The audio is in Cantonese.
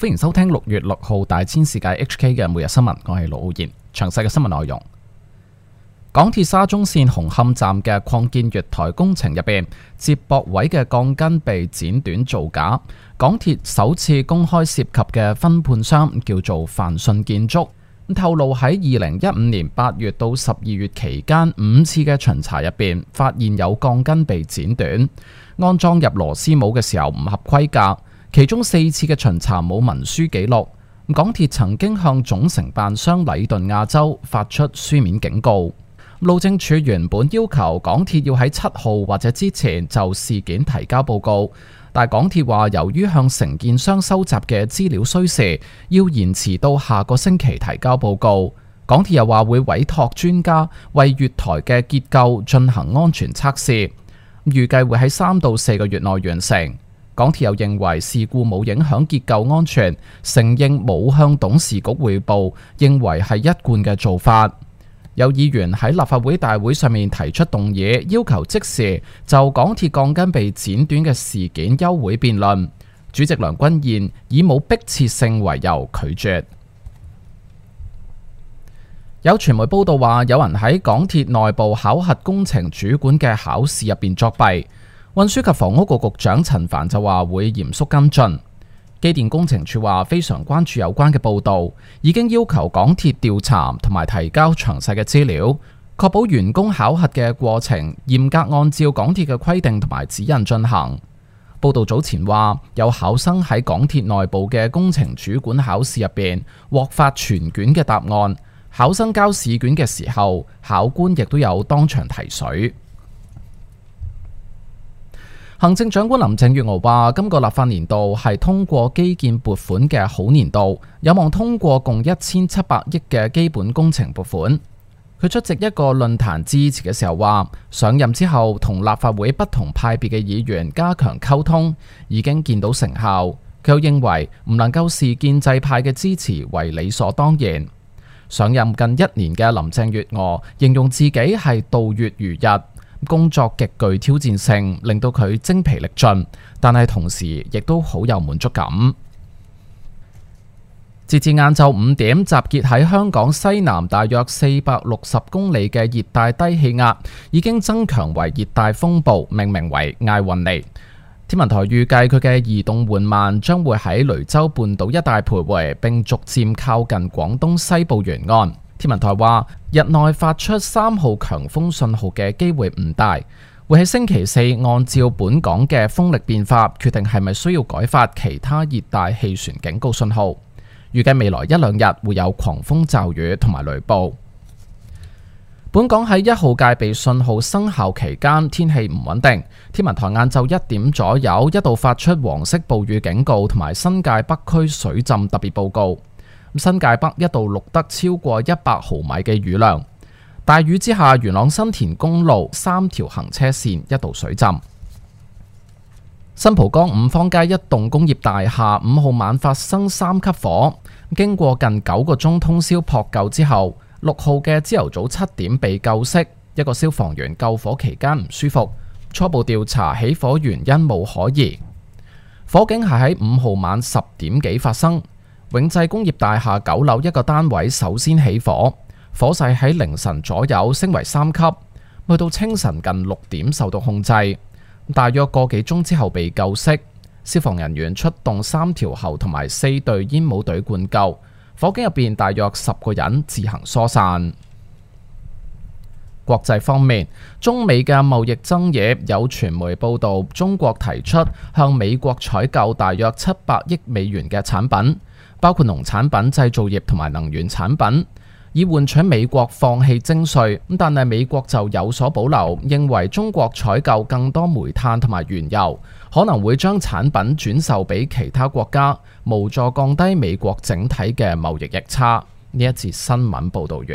歡迎收聽6月6號大千世界 HK 嘅每日新聞，我係盧浩然。詳細嘅新聞內容：港鐵沙中線紅磡站嘅擴建月台工程入邊，接駁位嘅鋼筋被剪短造假。港鐵首次公開涉及嘅分判商叫做泛信建築，透露喺2015年8月到12月期間5次嘅巡查入邊，發現有鋼筋被剪短，安裝入螺絲帽嘅時候唔合規格。其中4次嘅巡查冇文書記錄。港鐵曾經向總承辦商禮頓亞洲發出書面警告。路政署原本要求港鐵要喺7號或者之前就事件提交報告，但港鐵話由於向承建商收集嘅資料需時，要延遲到下個星期提交報告。港鐵又話會委託專家為月台嘅結構進行安全測試，預計會喺3到4個月內完成。港鐵又認為事故冇影響結構安全，承認冇向董事局匯報，認為係一貫嘅做法。有議員喺立法會大會上面提出動議，要求即時就港鐵鋼筋被剪短嘅事件休會辯論。主席梁君彥以冇迫切性為由拒絕。有傳媒報道話，有人喺港鐵內部考核工程主管嘅考試入邊作弊。運輸及房屋局局長陳帆就話會嚴肅跟進。機電工程署話非常關注有關嘅報導，已經要求港鐵調查同埋提交詳細嘅資料，確保員工考核嘅過程嚴格按照港鐵嘅規定同埋指引進行。報導早前話有考生喺港鐵內部嘅工程主管考試入邊獲發全卷嘅答案，考生交試卷嘅時候，考官亦都有當場提水。行政長官林鄭月娥話：今個立法年度係通過基建撥款嘅好年度，有望通過共1700億嘅基本工程撥款。佢出席一個論壇致辭嘅時候話：上任之後同立法會不同派別嘅議員加強溝通，已經見到成效。佢又認為唔能夠視建制派嘅支持為理所當然。上任近1年嘅林鄭月娥形容自己係度月如日。工作極具挑戰性，令到佢精疲力盡，但係同時亦都好有滿足感。截至晏晝5點，集結喺香港西南大約460公里嘅熱帶低氣壓已經增強為熱帶風暴，命名為艾雲尼。天文台預計佢嘅移動緩慢，將會喺雷州半島一帶徘徊，並逐漸靠近廣東西部沿岸。天文台話，日內發出3號強風信號嘅機會唔大，會喺星期4按照本港嘅風力變化，決定係咪需要改發其他熱帶氣旋警告信號。預計未來1-2日會有狂風驟雨同埋雷暴。本港喺1號戒備信號生效期間，天氣唔穩定。天文台晏晝1點左右一度發出黃色暴雨警告同埋新界北區水浸特別報告。新界北一度錄得超過100毫米嘅雨量，大雨之下，元朗新田公路3條行車線一度水浸。新蒲崗五芳街一棟工業大廈5號晚發生3級火，經過近9個鐘通宵撲救之後，6號嘅朝頭早7點被救熄。一個消防員救火期間唔舒服，初步調查起火原因冇可疑。火警係喺5號晚10點幾發生。永濟工業大廈9樓一個單位首先起火，火勢喺凌晨左右升為3級，去到清晨近6點受到控制，大約個幾鐘之後被救熄。消防人員出動3條喉同埋4隊煙霧隊灌救，火警入邊大約10個人自行疏散。國際方面，中美嘅貿易爭議，有傳媒報道中國提出向美國採購大約700億美元嘅產品，包括農產品、製造業同埋能源產品，以換取美國放棄徵稅。但係美國就有所保留，認為中國採購更多煤炭同埋原油，可能會將產品轉售俾其他國家，無助降低美國整體嘅貿易逆差。呢一節新聞報道完。